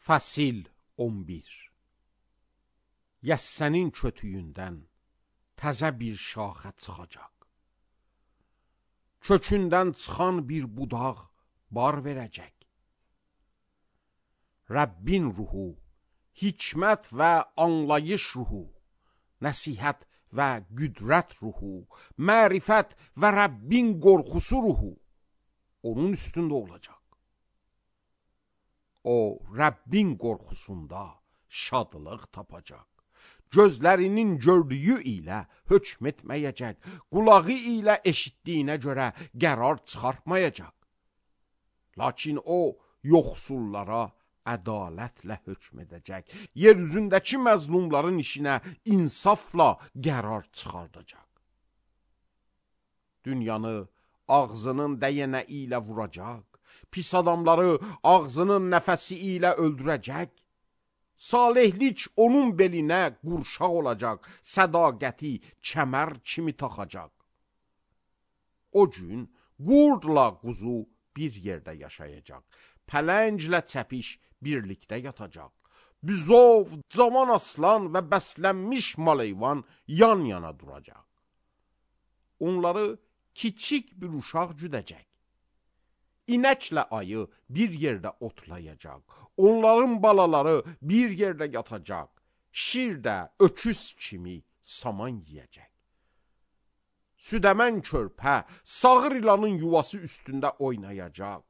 Fasil 11. Yəssənin kötüyündən təzə bir şaxə çıxacaq. Kökündən çıxan bir budaq bar verəcək. Rəbbin ruhu, hikmət və anlayış ruhu, nəsihət və qüdrət ruhu, mərifət və Rəbbin qorxusu ruhu onun üstündə olacaq. O, Rəbbin qorxusunda şadlıq tapacaq. Gözlərinin gördüyü ilə hökm etməyəcək, qulağı ilə eşitdiyinə görə qərar çıxartmayacaq. Lakin o, yoxsullara ədalətlə hökm edəcək, yer üzündəki məzlumların işinə insafla qərar çıxardacaq. Dünyanı ağzının dəyənə ilə vuracaq, pis adamları ağzının nəfəsi ilə öldürəcək. Salihlik onun belinə qurşaq olacaq, sədaqəti kəmər kimi taxacaq. O gün qurdla quzu bir yerdə yaşayacaq, pələnglə çəpiş birlikdə yatacaq. Büzov, cavan aslan və bəslənmiş maleyvan yan-yana duracaq. Onları kiçik bir uşaq güdəcək. İnəklə ayı bir yerdə otlayacaq. Onların balaları bir yerdə yatacaq. Şir də öküz kimi saman yiyəcək. Südəmən körpə sağır ilanın yuvası üstündə oynayacaq.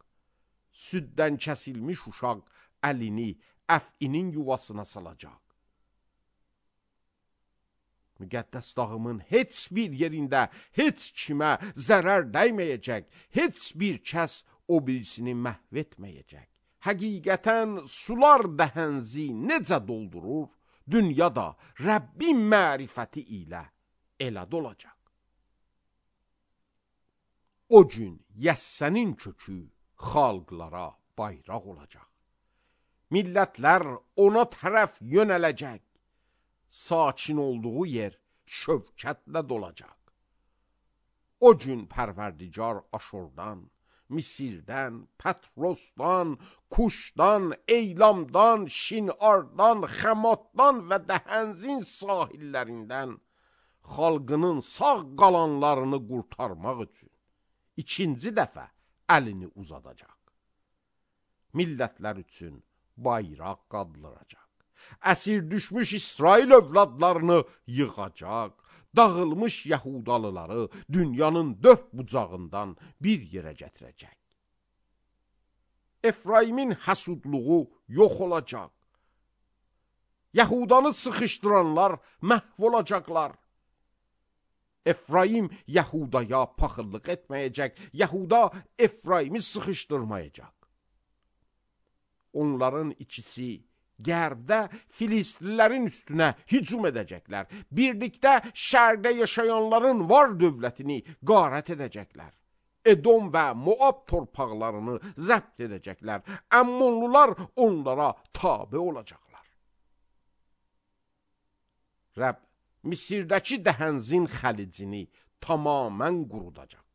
Süddən kəsilmiş uşaq əlini əfinin yuvasına salacaq. Müqəddəs dağımın heç bir yerində heç kimə zərər dəyməyəcək. Heç bir kəs o birisini məhv etməyəcək. Həqiqətən sular dəhənzi necə doldurur, dünyada Rəbbin mərifəti ilə elə dolacaq. O gün yəssənin kökü xalqlara bayraq olacaq. Millətlər ona tərəf yönələcək. Sakin olduğu yer şövkətlə dolacaq. O gün Pərverdigar Aşurdan, Misirdən, Patrosdan, Kuşdan, Eylamdan, Şinardan, Xəmatdan və Dəhənzin sahillərindən xalqının sağ qalanlarını qurtarmaq üçün ikinci dəfə əlini uzadacaq. Millətlər üçün bayraq qaldıracaq. Əsir düşmüş İsrail övladlarını yığacaq. Dağılmış Yəhudalıları dünyanın dörd bucağından bir yerə gətirəcək. Efraimin həsudluğu yox olacaq. Yəhudanı sıxışdıranlar məhv olacaqlar. Efraim Yəhudaya paxıllıq etməyəcək. Yəhuda Efraimi sıxışdırmayacaq. Onların ikisi Gərdə Filistlilərin üstünə hücum edəcəklər. Birlikdə şərqdə yaşayanların var dövlətini qarət edəcəklər. Edom və Moab torpaqlarını zəbt edəcəklər. Əmmonlular onlara tabe olacaqlar. Rəbb Misirdəki Dəhənzin xəlicini tamamən qurudacaq.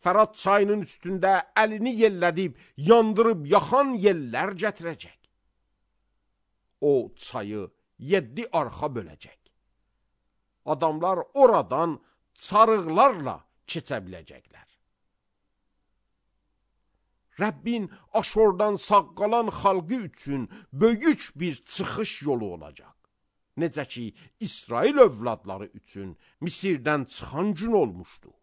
Fərat çayının üstündə əlini yellədib, yandırıb yaxan yellər gətirəcək. O çayı 7 arxa böləcək. Adamlar oradan çarıqlarla keçə biləcəklər. Rəbbin Aşordan sağ qalan xalqı üçün böyük bir çıxış yolu olacaq. Necə ki, İsrail övladları üçün Misirdən çıxan gün olmuşdu.